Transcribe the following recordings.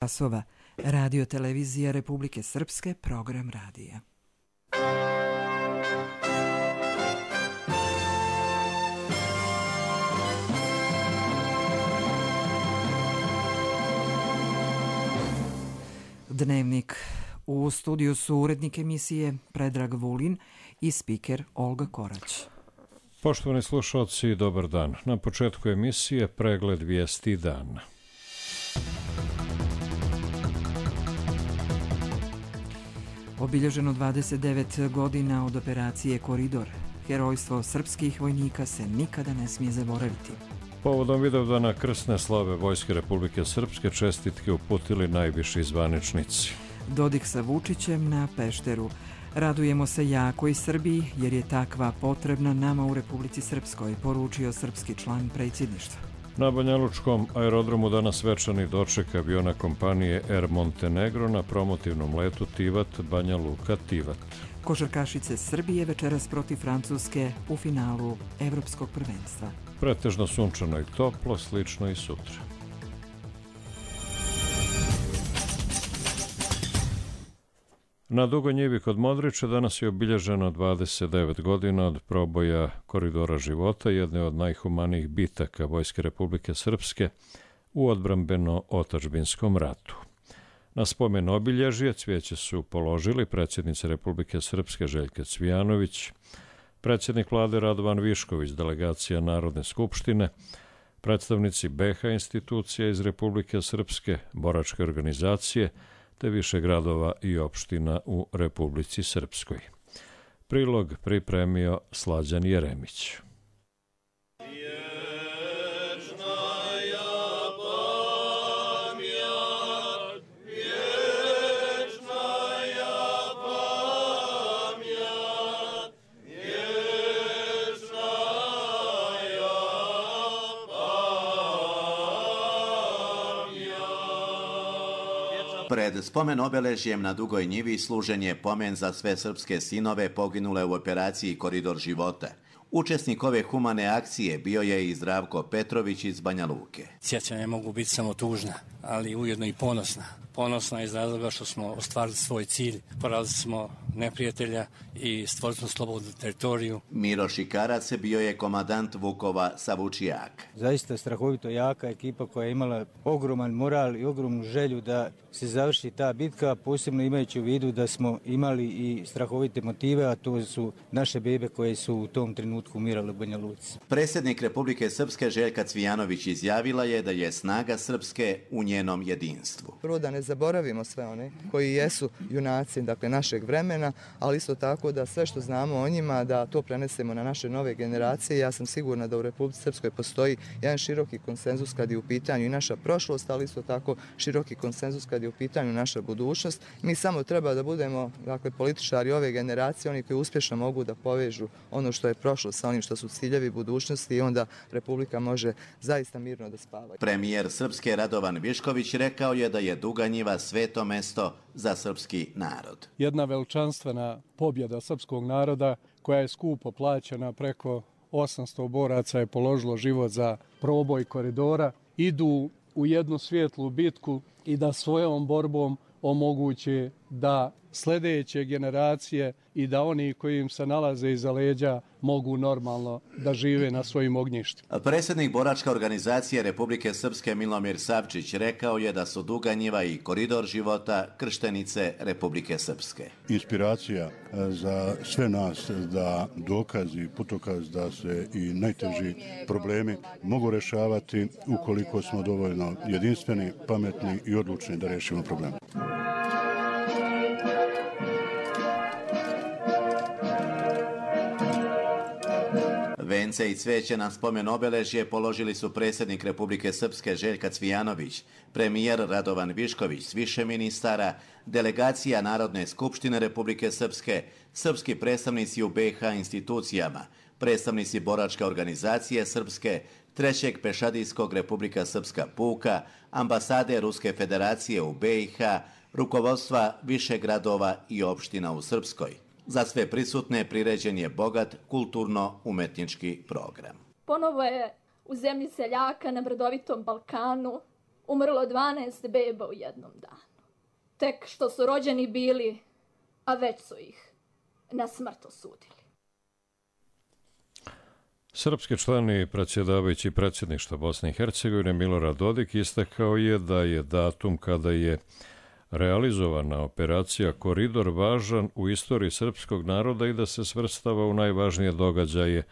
časova. Radio televizija Republike Srpske, program radija. Dnevnik. U studiju su urednik emisije Predrag Vulin i spiker Olga Korać. Poštovani slušalci, dobar dan. Na početku emisije pregled vijesti dana. Obilježeno 29 godina od operacije Koridor. Herojstvo srpskih vojnika se nikada ne smije zaboraviti. Povodom Vidovdana krsne slave Vojske Republike Srpske čestitke uputili najviši zvaničnici. Dodik sa Vučićem na Pešteru. Radujemo se jakoj Srbiji jer je takva potrebna nama u Republici Srpskoj, poručio srpski član predsjedništva. Na Banjalučkom aerodromu danas svečani doček aviona kompanije Air Montenegro na promotivnom letu Tivat Banja Luka Tivat. Košarkašice Srbije večeras protiv Francuske u finalu Evropskog prvenstva. Pretežno sunčano i toplo, slično i sutra. Na Dugoj njivi kod Modrića danas je obilježeno 29 godina od proboja Koridora života, jedne od najhumanijih bitaka Vojske Republike Srpske u odbrambeno-otadžbinskom ratu. Na spomen obilježje cvijeće su položili predsjednica Republike Srpske Željka Cvijanović, predsjednik vlade Radovan Višković, delegacija Narodne skupštine, predstavnici BiH institucija iz Republike Srpske, boračke organizacije, te više gradova i opština u Republici Srpskoj. Prilog pripremio Slađan Jeremić. Pred spomen obeležjem na Dugoj njivi služen je pomen za sve srpske sinove poginule u operaciji Koridor života. Učesnik ove humane akcije bio je i Zdravko Petrović iz Banja Luke. Sjećanja mogu biti samo tužna, ali ujedno i ponosna. Ponosna iz razloga što smo ostvarili svoj cilj, porazili smo neprijatelja i stvorili smo slobodnu teritoriju. Miro Šikarac bio je komandant Vukova sa Vučijaka. Zaista strahovito jaka ekipa koja je imala ogroman moral i ogromnu želju da se završi ta bitka, posebno imajući u vidu da smo imali i strahovite motive, a to su naše bebe koje su u tom trenutku umirale u Banja Luci. Predsjednik Republike Srpske Željka Cvijanović izjavila je da je snaga Srpske u njenom jedinstvu. Prvo da ne zaboravimo sve one koji jesu junaci, dakle našeg vremena, ali isto tako da sve što znamo o njima, da to prenesemo na naše nove generacije. Ja sam sigurna da u Republici Srpskoj postoji jedan široki konsenzus kad je u pitanju i naša prošlost, ali isto tako široki konsenzus kad je u pitanju naša budućnost. Mi samo treba da budemo, dakle, političari ove generacije, oni koji uspješno mogu da povežu ono što je prošlo sa onim što su ciljevi budućnosti i onda Republika može zaista mirno da spava. Premijer Srpske Radovan Višković rekao je da je Duga njiva sveto mesto za srpski narod. Jedna veličanstvena pobjeda srpskog naroda koja je skupo plaćena, preko 800 boraca je položilo život za proboj koridora, idu u jednu svijetlu bitku i da svojom borbom omoguće da sljedeće generacije i da oni koji im se nalaze iza leđa mogu normalno da žive na svojim ognjištima. Predsjednik boračke organizacije Republike Srpske Milomir Savčić rekao je da su Duga njiva i Koridor života krštenice Republike Srpske. Inspiracija za sve nas da dokazi, putokaz da se i najteži problemi mogu rješavati ukoliko smo dovoljno jedinstveni, pametni i odlučni da riješimo probleme. Vence i cvijeće na spomen obeležje položili su predsjednik Republike Srpske Željka Cvijanović, premijer Radovan Višković s više ministara, delegacija Narodne skupštine Republike Srpske, srpski predstavnici u BiH institucijama, predstavnici boračke organizacije Srpske, Trećeg pešadijskog Republika Srpska puka, ambasade Ruske federacije u BiH, rukovodstva više gradova i opština u Srpskoj. Za sve prisutne priređen je bogat kulturno-umetnički program. Ponovo je u zemlji seljaka na brdovitom Balkanu umrlo 12 beba u jednom danu. Tek što su rođeni bili, a već su ih na smrt osudili. Srpski član i predsjedavajući predsjedništva Bosne i Hercegovine Milorad Dodik istakao je da je datum kada je realizovana operacija Koridor važan u istoriji srpskog naroda i da se svrstava u najvažnije događaje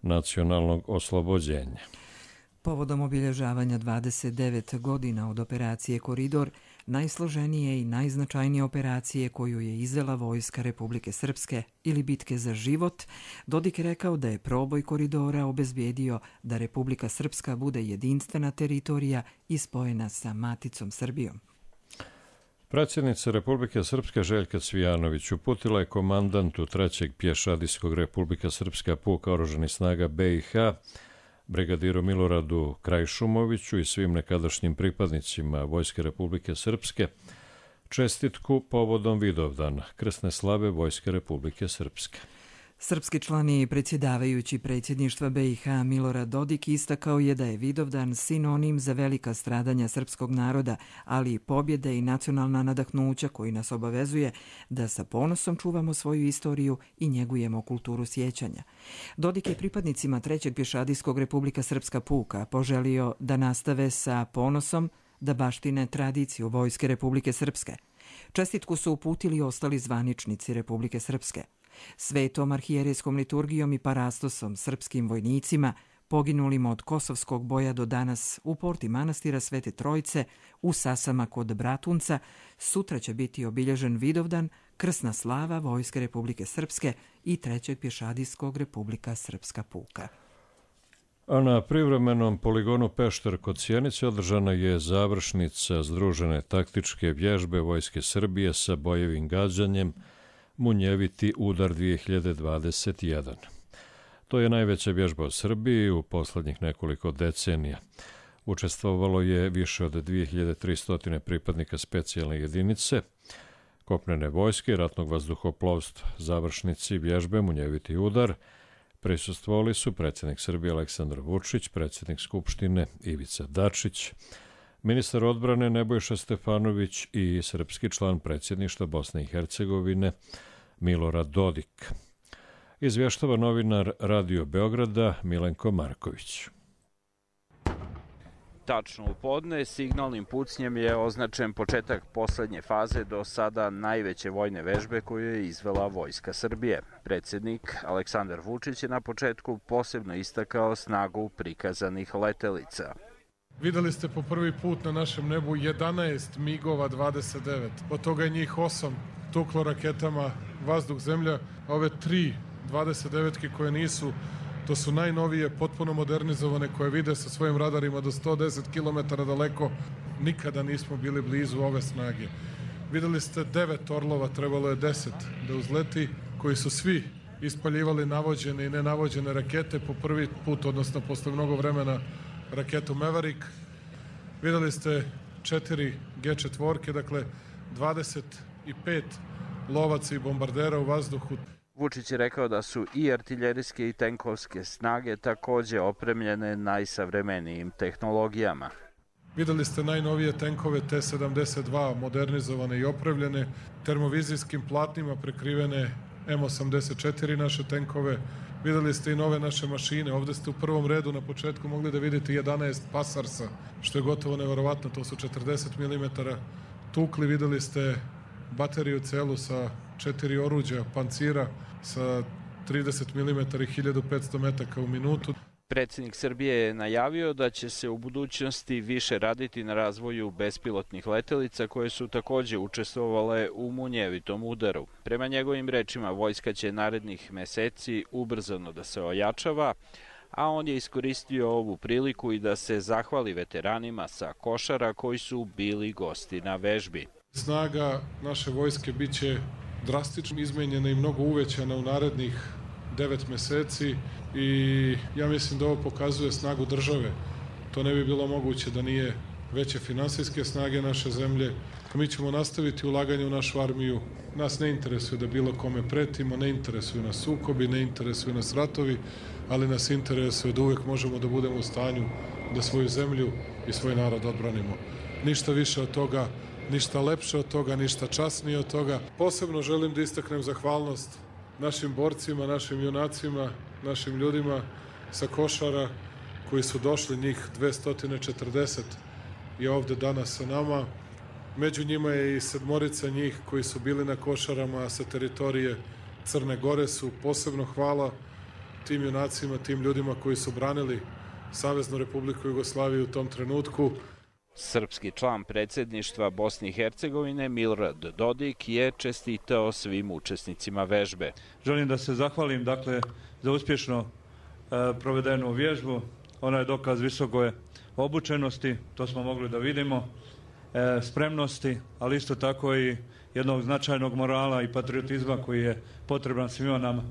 nacionalnog oslobođenja. Povodom obilježavanja 29 godina od operacije Koridor, najsloženije i najznačajnije operacije koju je izvela Vojska Republike Srpske ili bitke za život, Dodik je rekao da je proboj koridora obezbijedio da Republika Srpska bude jedinstvena teritorija i spojena sa maticom Srbijom. Predsjednica Republike Srpske Željka Cvijanović uputila je komandantu 3. pješadijskog Republika Srpska puka oružanih snaga BiH, brigadiru Miloradu Krajšumoviću i svim nekadašnjim pripadnicima Vojske Republike Srpske čestitku povodom Vidovdana, krsne slave Vojske Republike Srpske. Srpski član i predsjedavajući predsjedništva BiH Milorad Dodik istakao je da je Vidovdan sinonim za velika stradanja srpskog naroda, ali i pobjede i nacionalna nadahnuća koji nas obavezuje da sa ponosom čuvamo svoju istoriju i njegujemo kulturu sjećanja. Dodik je pripadnicima 3. pješadijskog Republika Srpska puka poželio da nastave sa ponosom da baštine tradiciju Vojske Republike Srpske. Čestitku su uputili ostali zvaničnici Republike Srpske. Svetom arhijerejskom liturgijom i parastosom srpskim vojnicima, poginulim od kosovskog boja do danas u porti manastira Svete Trojice, u Sasama kod Bratunca, sutra će biti obilježen Vidovdan, krsna slava Vojske Republike Srpske i 3. pješadijskog Republika Srpska puka. A na privremenom poligonu Pešter kod Sjenice održana je završnica združene taktičke vježbe Vojske Srbije sa bojevim gađanjem Munjeviti udar 2021. To je najveća vježba u Srbiji u poslednjih nekoliko decenija. Učestvovalo je više od 2300 pripadnika specijalne jedinice, kopnene vojske i ratnog vazduhoplovstva. Završnici vježbe Munjeviti udar prisustvovali su predsjednik Srbije Aleksandar Vučić, predsjednik Skupštine Ivica Dačić, ministar odbrane Nebojša Stefanović i srpski član predsjedništva Bosne i Hercegovine Milorad Dodik. Izvještava novinar Radio Beograda Milenko Marković. Tačno u podne signalnim pucnjem je označen početak poslednje faze do sada najveće vojne vežbe koju je izvela Vojska Srbije. Predsjednik Aleksandar Vučić je na početku posebno istakao snagu prikazanih letelica. Videli ste po prvi put na našem nebu 11 MiG-ova 29. Od toga je njih 8 tuklo raketama vazduh-zemlja. Ove 3 29-ke koje nisu, to su najnovije, potpuno modernizovane, koje vide sa svojim radarima do 110 km daleko. Nikada nismo bili blizu ove snage. Videli ste 9 Orlova, trebalo je 10 da uzleti, koji su svi ispaljivali navođene i nenavođene rakete po prvi put, odnosno posle mnogo vremena, raketu Maverick. Videli ste 4 G4, dakle 25 lovaca i bombardera u vazduhu. Vučić je rekao da su i artiljerijske i tenkovske snage takođe opremljene najsavremenijim tehnologijama. Videli ste najnovije tenkove T-72, modernizovane i opremljene, termovizijskim platnima prekrivene M84 naše tenkove. Videli ste i nove naše mašine. Ovde ste u prvom redu na početku mogli da vidite 11 Pasarsa, što je gotovo neverovatno, to su 40 mm tukli. Videli ste bateriju celu sa 4 oruđa, pancira sa 30 mm i 1500 metaka u minutu. Predsjednik Srbije je najavio da će se u budućnosti više raditi na razvoju bespilotnih letelica koje su takođe učestvovale u Munjevitom udaru. Prema njegovim rečima, vojska će narednih meseci ubrzano da se ojačava, a on je iskoristio ovu priliku i da se zahvali veteranima sa Košara koji su bili gosti na vežbi. Snaga naše vojske biće drastično izmenjena i mnogo uvećana u narednih 9 meseci i ja mislim da ovo pokazuje snagu države. To ne bi bilo moguće da nije veće finansijske snage naše zemlje. Mi ćemo nastaviti ulaganje u našu armiju. Nas ne interesuje da bilo kome pretimo, ne interesuju nas sukobi, ne interesuju nas ratovi, ali nas interesuje da uvek možemo da budemo u stanju da svoju zemlju i svoj narod odbranimo. Ništa više od toga, ništa lepše od toga, ništa časnije od toga. Posebno želim da istaknem zahvalnost našim borcima, našim junacima, našim ljudima sa Košara koji su došli, njih 240 je ovde danas sa nama. Među njima je i 7 njih koji su bili na Košarama sa teritorije Crne Gore. Su posebno hvala tim junacima, tim ljudima koji su branili Saveznu Republiku Jugoslaviju u tom trenutku. Srpski član predsjedništva Bosne i Hercegovine Milorad Dodik je čestitao svim učesnicima vežbe. Želim da se zahvalim za uspješno provedenu vježbu. Ona je dokaz visoke obučenosti, to smo mogli da vidimo, spremnosti, ali isto tako i jednog značajnog morala i patriotizma koji je potreban svima nama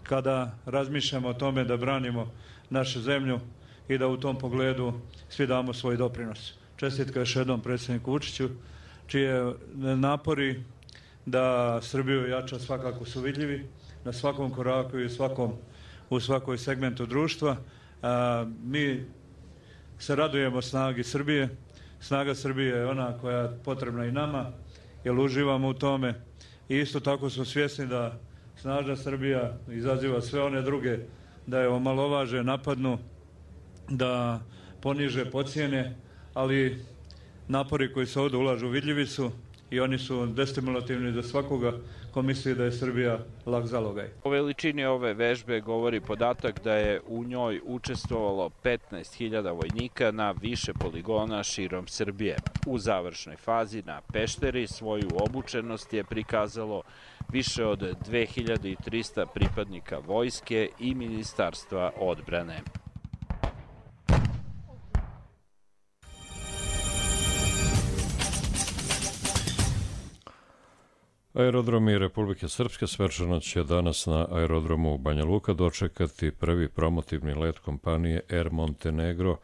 kada razmišljamo o tome da branimo našu zemlju i da u tom pogledu svi damo svoj doprinos. Čestitka još jednom predsjedniku Vučiću, čije napori da Srbiju jača svakako su vidljivi na svakom koraku i u svakoj segmentu društva. Mi se radujemo snagi Srbije. Snaga Srbije je ona koja je potrebna i nama, jer uživamo u tome. I isto tako smo svjesni da snažna Srbija izaziva sve one druge da je omalovaže, napadnu, da poniže, pocijene, ali napori koji se ovdje ulažu vidljivi su i oni su destimulativni za svakoga ko misli da je Srbija lak zalogaj. O veličini ove vežbe govori podatak da je u njoj učestvovalo 15.000 vojnika na više poligona širom Srbije. U završnoj fazi na Pešteri svoju obučenost je prikazalo više od 2300 pripadnika vojske i Ministarstva odbrane. Aerodromi Republike Srpske svečano će danas na aerodromu Banja Luka dočekati prvi promotivni let kompanije Air Montenegro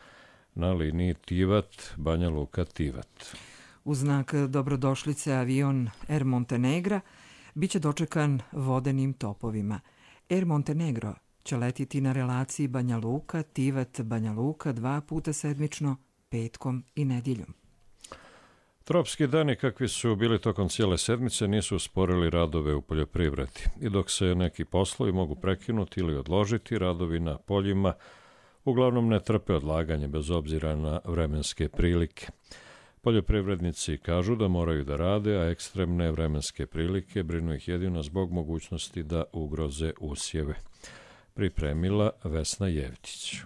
na liniji Tivat-Banja Luka-Tivat. U znak dobrodošlice avion Air Montenegra biće dočekan vodenim topovima. Air Montenegro će letiti na relaciji Banja Luka-Tivat-Banja Luka 2 puta sedmično, petkom i nedjeljom. Tropski dani kakvi su bili tokom cijele sedmice nisu usporili radove u poljoprivredi i dok se neki poslovi mogu prekinuti ili odložiti, radovi na poljima uglavnom ne trpe odlaganje bez obzira na vremenske prilike. Poljoprivrednici kažu da moraju da rade, a ekstremne vremenske prilike brinu ih jedino zbog mogućnosti da ugroze usjeve. Pripremila Vesna Jevtić.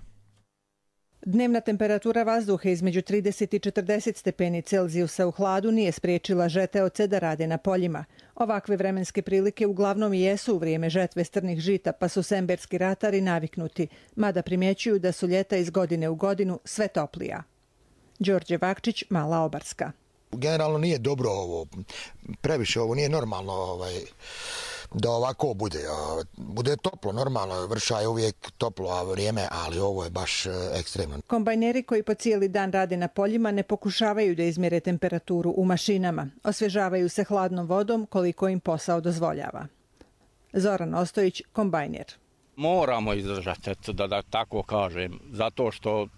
Dnevna temperatura vazduha između 30 i 40 stepeni Celzijusa u hladu nije spriječila žeteoce da rade na poljima. Ovakve vremenske prilike uglavnom i jesu u vrijeme žetve strnih žita, pa su semberski ratari naviknuti, mada primjećuju da su ljeta iz godine u godinu sve toplija. Đorđe Vakčić, Mala Obarska. Generalno nije dobro ovo, previše ovo nije normalno da ovako bude. Bude toplo, normalno, vrša je uvijek toplo vrijeme, ali ovo je baš ekstremno. Kombajneri koji po cijeli dan rade na poljima ne pokušavaju da izmjere temperaturu u mašinama. Osvježavaju se hladnom vodom koliko im posao dozvoljava. Zoran Ostojić, kombajner. Moramo izdržati, da tako kažem, zato što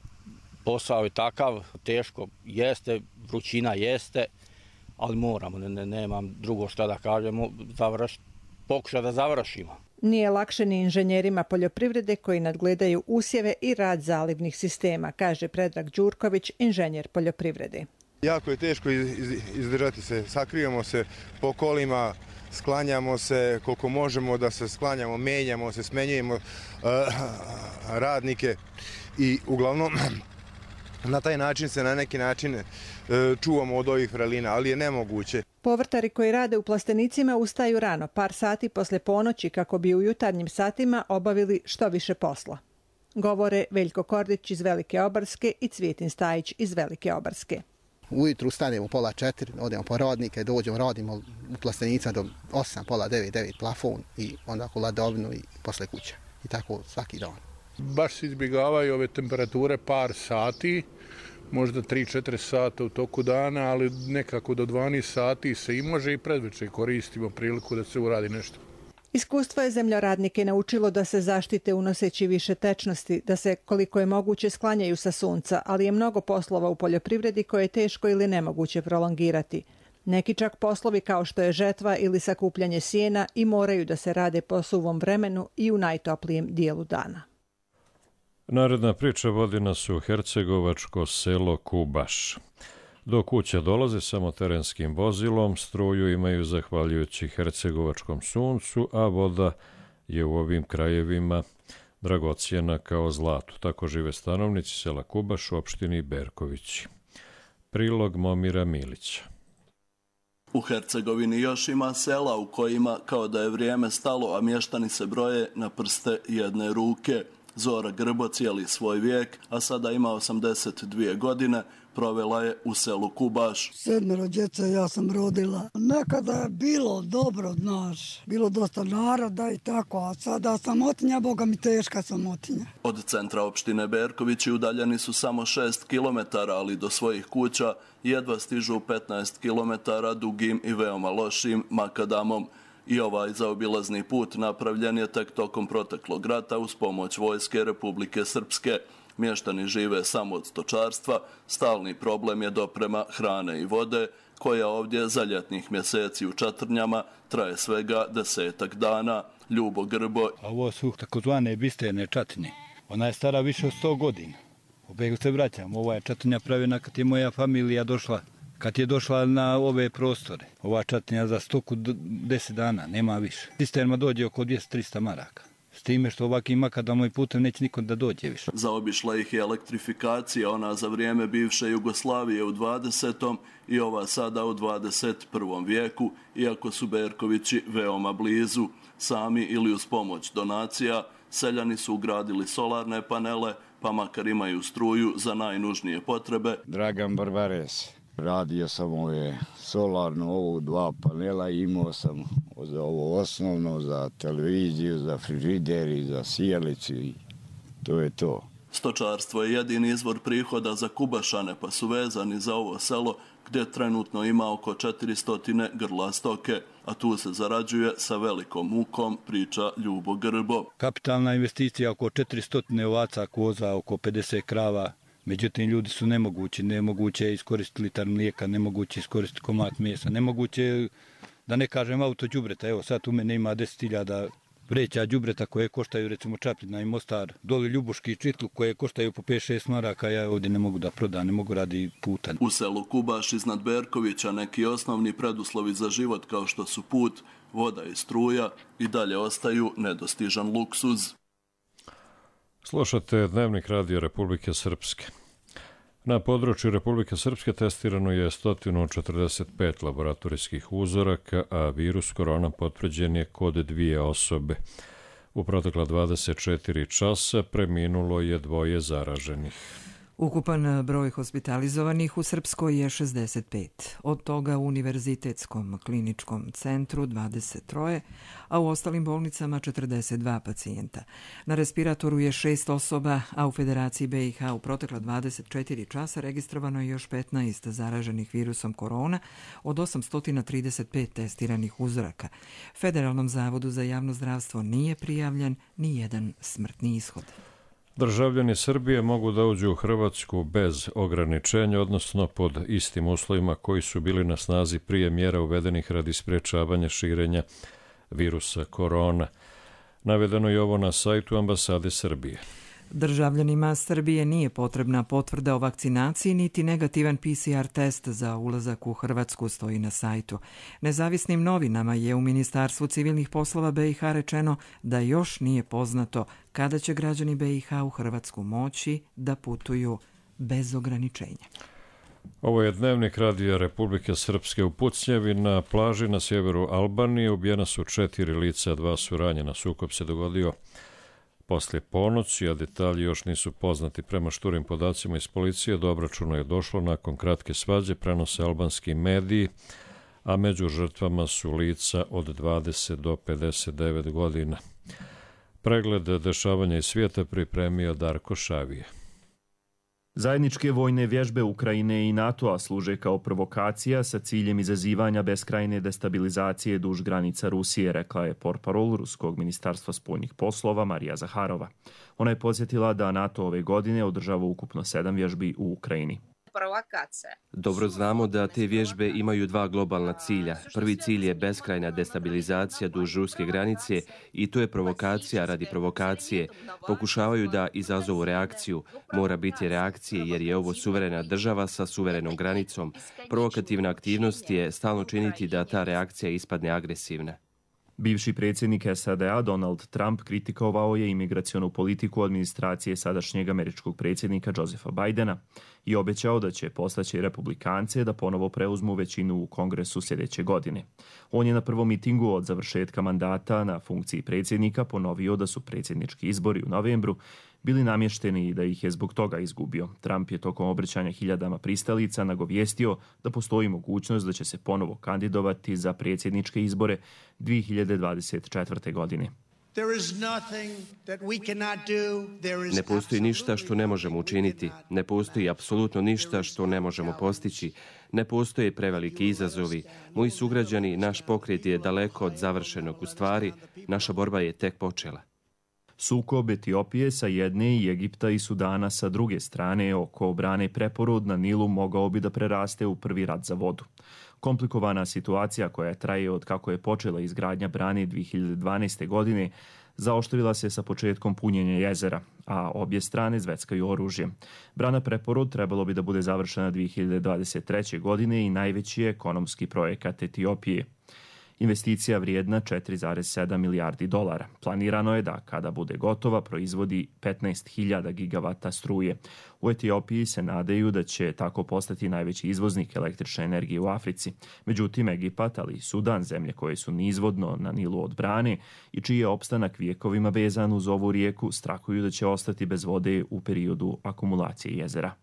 posao je takav, teško jeste, vrućina jeste, ali moramo, nemam drugo što da kažemo, pokušati da završimo. Nije lakše ni inženjerima poljoprivrede koji nadgledaju usjeve i rad zalivnih sistema, kaže Predrag Đurković, inženjer poljoprivrede. Jako je teško izdržati se, sakrijemo se po kolima, sklanjamo se koliko možemo da se sklanjamo, menjamo se, smenjujemo radnike i uglavnom na taj način se na neki način čuvamo od ovih vrelina, ali je nemoguće. Povrtari koji rade u plastenicima ustaju rano, par sati posle ponoći kako bi u jutarnjim satima obavili što više posla. Govore Veljko Kordić iz Velike Obarske i Cvijetin Stajić iz Velike Obarske. Ujutru stanemo 3:30, odemo po radnike, dođemo, radimo u plastenica do 8, 8:30, plafon i onda hladovinu i posle kuća. I tako svaki dan. Baš se izbjegavaju ove temperature par sati, možda 3-4 sata u toku dana, ali nekako do 12 sati se i može i predvečer koristimo priliku da se uradi nešto. Iskustvo je zemljoradnike naučilo da se zaštite unoseći više tečnosti, da se koliko je moguće sklanjaju sa sunca, ali je mnogo poslova u poljoprivredi koje je teško ili nemoguće prolongirati. Neki čak poslovi kao što je žetva ili sakupljanje sjena i moraju da se rade po suvom vremenu i u najtoplijem dijelu dana. Naredna priča vodi nas u hercegovačko selo Kubaš. Do kuća dolaze samo terenskim vozilom, struju imaju zahvaljujući hercegovačkom suncu, a voda je u ovim krajevima dragocjena kao zlato. Tako žive stanovnici sela Kubaš u opštini Berkovići. Prilog Momira Milića. U Hercegovini još ima sela u kojima, kao da je vrijeme stalo, a mještani se broje na prste jedne ruke. Zora Grbo cijeli svoj vijek, a sada ima 82 godine, provela je u selu Kubaš. 7 djece ja sam rodila. Nekada je bilo dobro, znaš, bilo dosta naroda i tako, a sada samotinja, Boga mi teška samotinja. Od centra opštine Berkovići udaljeni su samo 6 km, ali do svojih kuća jedva stižu 15 km dugim i veoma lošim makadamom. I ovaj zaobilazni put napravljen je tek tokom proteklog rata uz pomoć vojske Republike Srpske. Mještani žive samo od stočarstva, stalni problem je doprema hrane i vode, koja ovdje za ljetnih mjeseci u čatrnjama traje svega 10 dana. Ljubo Grbo. Ovo su takozvane bisterne čatrnje. Ona je stara više od 100 godina. Opet se vraćam, ova je čatrnja pravljena kad je moja familija došla. Kad je došla na ove prostore, ova čatrnja za stoku 10 dana, nema više. Cisterma dođe oko 200-300 maraka. S time što ovakvim makadamom i putem neće niko da dođe više. Zaobišla ih je elektrifikacija, ona za vrijeme bivše Jugoslavije u 20. i ova sada u 21. vijeku, iako su Berkovići veoma blizu. Sami ili uz pomoć donacija, seljani su ugradili solarne panele, pa makar imaju struju za najnužnije potrebe. Dragan Barbares. Radio sam ove solarno, ovo 2 panela, imao sam za ovo osnovno, za televiziju, za frižider i za sijalicu i to je to. Stočarstvo je jedini izvor prihoda za Kubašane, pa su vezani za ovo selo gdje trenutno ima oko 400 grla stoke, a tu se zarađuje sa velikom mukom, priča Ljubo Grbo. Kapitalna investicija oko 400 ovaca, koza, oko 50 krava. Međutim, ljudi su nemoguće je iskoristiti litar mlijeka, nemoguće je iskoristiti komad mesa, nemoguće, da ne kažem, auto đubreta. Evo sad u mene ima 10.000 vreća đubreta koje koštaju, recimo Čapljina i Mostar, doli Ljubuški i Čitlu koje koštaju po 5-6 maraka, ja ovdje ne mogu da prodam, ne mogu radi puta. U selu Kubaš iznad Berkovića neki osnovni preduslovi za život kao što su put, voda i struja i dalje ostaju nedostižan luksuz. Slušate Dnevnik radija Republike Srpske. Na području Republike Srpske testirano je 145 laboratorijskih uzoraka, a virus korona potvrđen je kod 2 osobe. U protekla 24 časa preminulo je 2 zaraženih. Ukupan broj hospitalizovanih u Srpskoj je 65, od toga u Univerzitetskom kliničkom centru 23, a u ostalim bolnicama 42 pacijenta. Na respiratoru je 6 osoba, a u Federaciji BiH u protekla 24 časa registrovano je još 15 zaraženih virusom korona od 835 testiranih uzoraka. Federalnom zavodu za javno zdravstvo nije prijavljen ni jedan smrtni ishod. Državljani Srbije mogu da uđu u Hrvatsku bez ograničenja, odnosno pod istim uslovima koji su bili na snazi prije mjera uvedenih radi sprečavanja širenja virusa korona. Navedeno je ovo na sajtu ambasade Srbije. Državljanima Srbije nije potrebna potvrda o vakcinaciji niti negativan PCR test za ulazak u Hrvatsku, stoji na sajtu. Nezavisnim novinama je u Ministarstvu civilnih poslova BiH rečeno da još nije poznato kada će građani BiH u Hrvatsku moći da putuju bez ograničenja. Ovo je Dnevnik radija Republike Srpske. U Pucnjevi na plaži na sjeveru Albanije ubijena su 4 lica, 2 su ranjena. Sukob se dogodio poslije ponoći, a detalji još nisu poznati. Prema šturim podacima iz policije, do obračuna je došlo nakon kratke svađe, prenose albanski mediji, a među žrtvama su lica od 20 do 59 godina. Pregled dešavanja iz svijeta pripremio Darko Šavije. Zajedničke vojne vježbe Ukrajine i NATO-a služe kao provokacija sa ciljem izazivanja beskrajne destabilizacije duž granica Rusije, rekla je portparol Ruskog ministarstva spoljnih poslova Marija Zaharova. Ona je podsjetila da NATO ove godine održava ukupno 7 vježbi u Ukrajini. Dobro znamo da te vježbe imaju 2 globalna cilja. Prvi cilj je beskrajna destabilizacija duž ruske granice i to je provokacija radi provokacije. Pokušavaju da izazovu reakciju. Mora biti reakcije jer je ovo suverena država sa suverenom granicom. Provokativna aktivnost je stalno činiti da ta reakcija ispadne agresivna. Bivši predsjednik SAD-a Donald Trump kritikovao je imigracionu politiku administracije sadašnjeg američkog predsjednika Josepha Bidena i obećao da će postaći republikance da ponovo preuzmu većinu u Kongresu sljedeće godine. On je na prvom mitingu od završetka mandata na funkciji predsjednika ponovio da su predsjednički izbori u novembru bili namješteni i da ih je zbog toga izgubio. Trump je tokom obraćanja hiljadama pristalica nagovijestio da postoji mogućnost da će se ponovo kandidovati za predsjedničke izbore 2024. godine. Ne postoji ništa što ne možemo učiniti. Ne postoji apsolutno ništa što ne možemo postići. Ne postoje preveliki izazovi. Moji sugrađani, naš pokret je daleko od završenog. U stvari, naša borba je tek počela. Sukob Etiopije sa jedne i Egipta i Sudana sa druge strane oko brane Preporod na Nilu mogao bi da preraste u prvi rat za vodu. Komplikovana situacija koja traje od kako je počela izgradnja brane 2012. godine zaoštrila se sa početkom punjenja jezera, a obje strane zveckaju oružje. Brana Preporod trebalo bi da bude završena 2023. godine i najveći je ekonomski projekat Etiopije. Investicija vrijedna 4,7 milijardi dolara. Planirano je da, kada bude gotova, proizvodi 15.000 gigavata struje. U Etiopiji se nadaju da će tako postati najveći izvoznik električne energije u Africi. Međutim, Egipat, ali i Sudan, zemlje koje su nizvodno na Nilu od brane i čiji je opstanak vijekovima vezan uz ovu rijeku, strahuju da će ostati bez vode u periodu akumulacije jezera.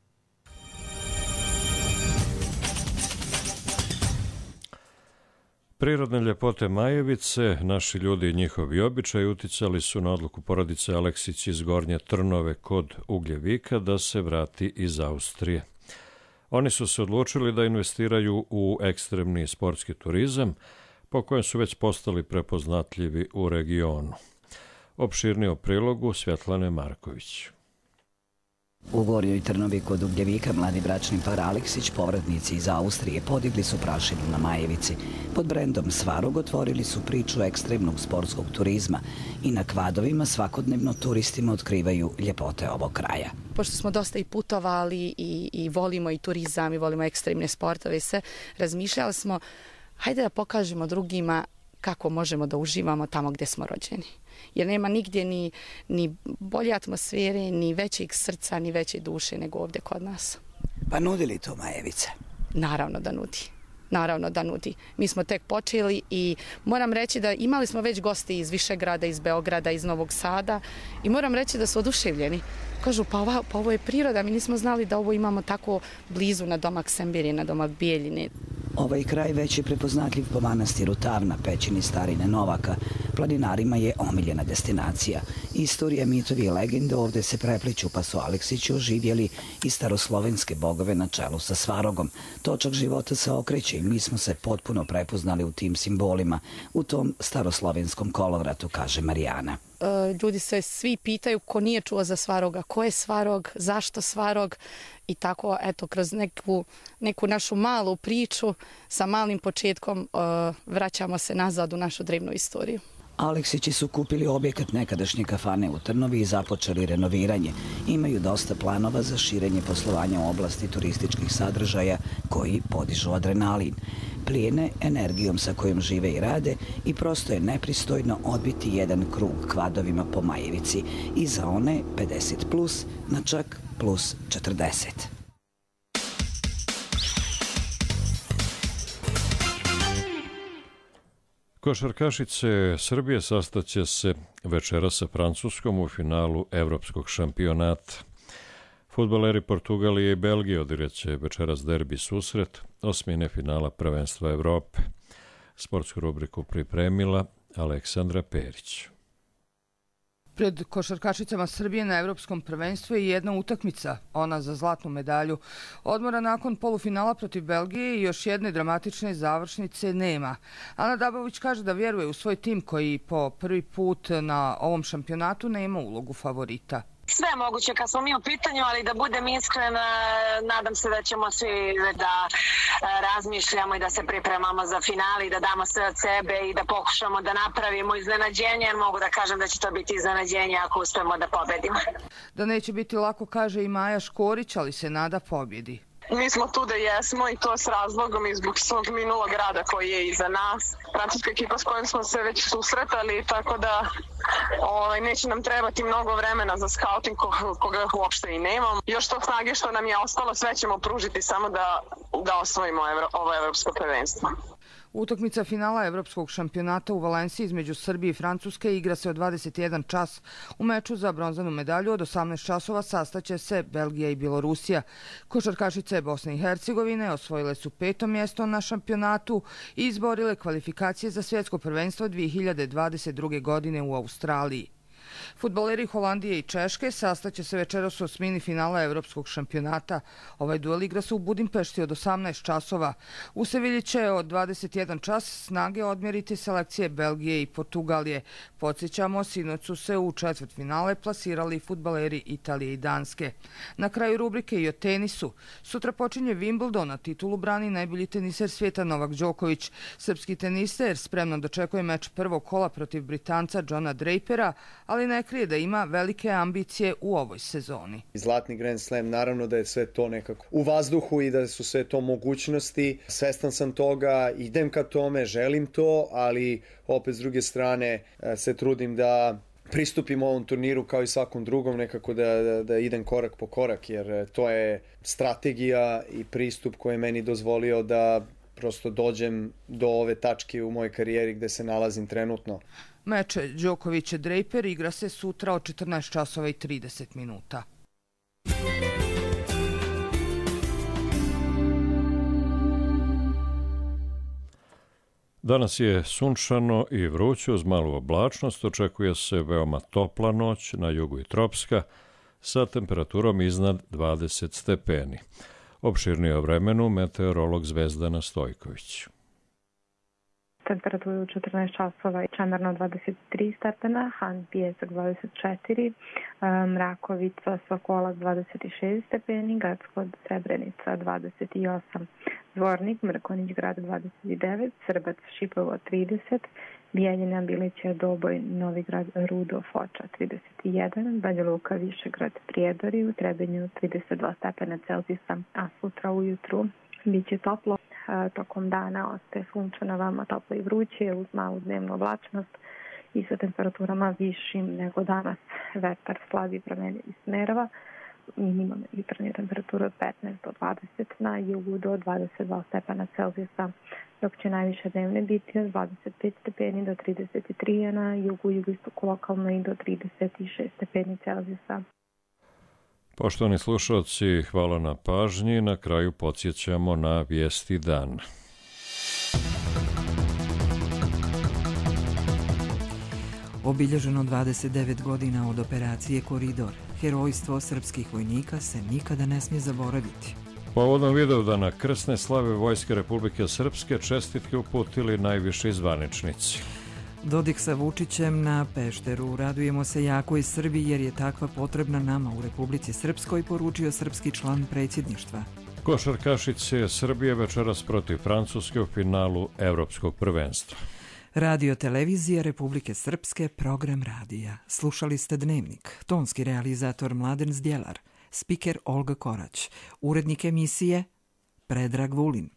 Prirodne ljepote Majevice, naši ljudi i njihovi običaji uticali su na odluku porodice Aleksić iz Gornje Trnove kod Ugljevika da se vrati iz Austrije. Oni su se odlučili da investiraju u ekstremni sportski turizam, po kojem su već postali prepoznatljivi u regionu. Opširnije o prilogu Svjetlane Marković. U Gornjoj Trnovi kod Ugljevika mladi bračni par Aleksić, povratnici iz Austrije, podigli su prašinu na Majevici. Pod brendom Svarog otvorili su priču ekstremnog sportskog turizma i na kvadovima svakodnevno turistima otkrivaju ljepote ovog kraja. Pošto smo dosta i putovali i volimo i turizam i volimo ekstremne sportove, sve razmišljali smo, hajde da pokažemo drugima kako možemo da uživamo tamo gdje smo rođeni. Jer nema nigdje ni bolje atmosfere, ni većeg srca, ni veće duše nego ovdje kod nas. Pa nudi li to Majevice? Naravno da nudi. Naravno da nudi. Mi smo tek počeli i moram reći da imali smo već gosti iz Višegrada, iz Beograda, iz Novog Sada i moram reći da su oduševljeni. Kažu, pa ovo je priroda, mi nismo znali da ovo imamo tako blizu na domak Sembirije, na domak Bijeljine. Ovaj kraj već je prepoznatljiv po manastiru Tavna, pećini starine Novaka. Planinarima je omiljena destinacija. Istorija, mitovi i legende ovdje se prepliču, pa su Aleksići oživjeli i staroslovenske bogove na čelu sa Svarogom. Točak života se okreće i mi smo se potpuno prepoznali u tim simbolima, u tom staroslovenskom kolovratu, kaže Marijana. Ljudi se svi pitaju ko nije čuo za Svaroga, ko je Svarog, zašto Svarog i tako, eto, kroz neku našu malu priču sa malim početkom vraćamo se nazad u našu drevnu istoriju. Aleksići su kupili objekat nekadašnje kafane u Trnovi i započeli renoviranje. Imaju dosta planova za širenje poslovanja u oblasti turističkih sadržaja koji podižu adrenalin. Plijene energijom sa kojom žive i rade i prosto je nepristojno odbiti jedan krug kvadovima po Majevici i za one 50+, na čak plus 40. Košarkašice Srbije sastaće se večera sa Francuskom u finalu Evropskog šampionata. Fudbaleri Portugalije i Belgije odigraće večeras derbi susret osmine finala prvenstva Evrope. Sportsku rubriku pripremila Aleksandra Perić. Pred košarkašicama Srbije na Evropskom prvenstvu je jedna utakmica, ona za zlatnu medalju. Odmora nakon polufinala protiv Belgije i još jedne dramatične završnice nema. Ana Dabović kaže da vjeruje u svoj tim koji po prvi put na ovom šampionatu nema ulogu favorita. Sve je moguće kad smo mi u pitanju, ali da budem iskren, nadam se da ćemo svi da razmišljamo i da se pripremamo za finale i da damo sve od sebe i da pokušamo da napravimo iznenađenje, jer mogu da kažem da će to biti iznenađenje ako uspemo da pobedimo. Da neće biti lako, kaže i Maja Škorić, ali se nada pobjedi. Mi smo tu da jesmo i to s razlogom i zbog svog minulog rada koji je iza nas. Francuska ekipa s kojom smo se već susretali, tako da neće nam trebati mnogo vremena za skauting koga uopšte i nemamo. Još to snage što nam je ostalo, sve ćemo pružiti samo da osvojimo ovo evropsko prvenstvo. Utakmica finala Evropskog šampionata u Valenciji između Srbije i Francuske igra se od 21 čas. U meču za bronzanu medalju od 18 časova sastaće se Belgija i Bjelorusija. Košarkašice Bosne i Hercegovine osvojile su 5. mjesto na šampionatu i izborile kvalifikacije za svjetsko prvenstvo 2022. godine u Australiji. Fudbaleri Holandije i Češke sastaće se večeras u osmini finala Evropskog šampionata. Ovaj duel igra se u Budimpešti od 18 časova. U Sevilji će od 21 čas snage odmjeriti selekcije Belgije i Portugalije. Podsjećamo, sinoć su se u četvrtfinale plasirali fudbaleri Italije i Danske. Na kraju rubrike i o tenisu. Sutra počinje Wimbledon, a titulu brani najbolji teniser svijeta Novak Đoković. Srpski teniser spremno dočekuje meč prvog kola protiv Britanca Johna Drapera, ali ne krije da ima velike ambicije u ovoj sezoni. Zlatni Grand Slam, naravno da je sve to nekako u vazduhu i da su sve to mogućnosti. Svestan sam toga, idem ka tome, želim to, ali opet s druge strane se trudim da pristupim ovom turniru kao i svakom drugom, nekako da idem korak po korak, jer to je strategija i pristup koji je meni dozvolio da prosto dođem do ove tačke u mojoj karijeri gde se nalazim trenutno. Meč Đoković-Draper igra se sutra od 14 časova i 30 minuta. Danas je sunčano i vruće uz malu oblačnost, očekuje se veoma topla noć, na jugu i tropska, sa temperaturom iznad 20 stepeni. Opširnije o vremenu meteorolog Zvezdana Stojković. Temperaturu 14 časova, Čemerno 23 stepena, Han Pijesak 24, Mrakovica, Sokolac 26 stepeni, Gracko Srebrenica 28, Zvornik, Mrkonjić grad 29, Srbac, Šipovo 30, Bijeljina, Bilića, Doboj, Novigrad, Rudo, Foča 31, Banja Luka, Višegrad, Prijedori, u Trebinju 32 stepena Celzijusa, a sutra ujutru biće toplo. Tokom dana ostaje sunčano, vama toplo i vruće uz malu dnevnu oblačnost i sa temperaturama višim nego danas. Vetar slabi promenljivi smerova, minimum jutarnje temperature od 15 do 20, na jugu do 22 stepena Celzijusa, dok će najviše dnevne biti od 25 stepeni do 33, a na jugu i jugoistoku lokalno i do 36 stepeni Celzijusa. Poštovani slušalci, hvala na pažnji. Na kraju podsjećamo na vijesti dana. Obilježeno 29 godina od operacije Koridor. Herojstvo srpskih vojnika se nikada ne smije zaboraviti. Povodom Vidovdana krsne slave Vojske Republike Srpske čestitke uputili najviši zvaničnici. Dodik sa Vučićem na Pešteru. Radujemo se jakoj Srbiji jer je takva potrebna nama u Republici Srpskoj, poručio srpski član predsjedništva. Košarkašice Srbije večeras protiv Francuske u finalu Evropskog prvenstva. Radio televizija Republike Srpske, program radija. Slušali ste Dnevnik. Tonski realizator Mladen Zdjelar. Spiker Olga Korać. Urednik emisije Predrag Vulin.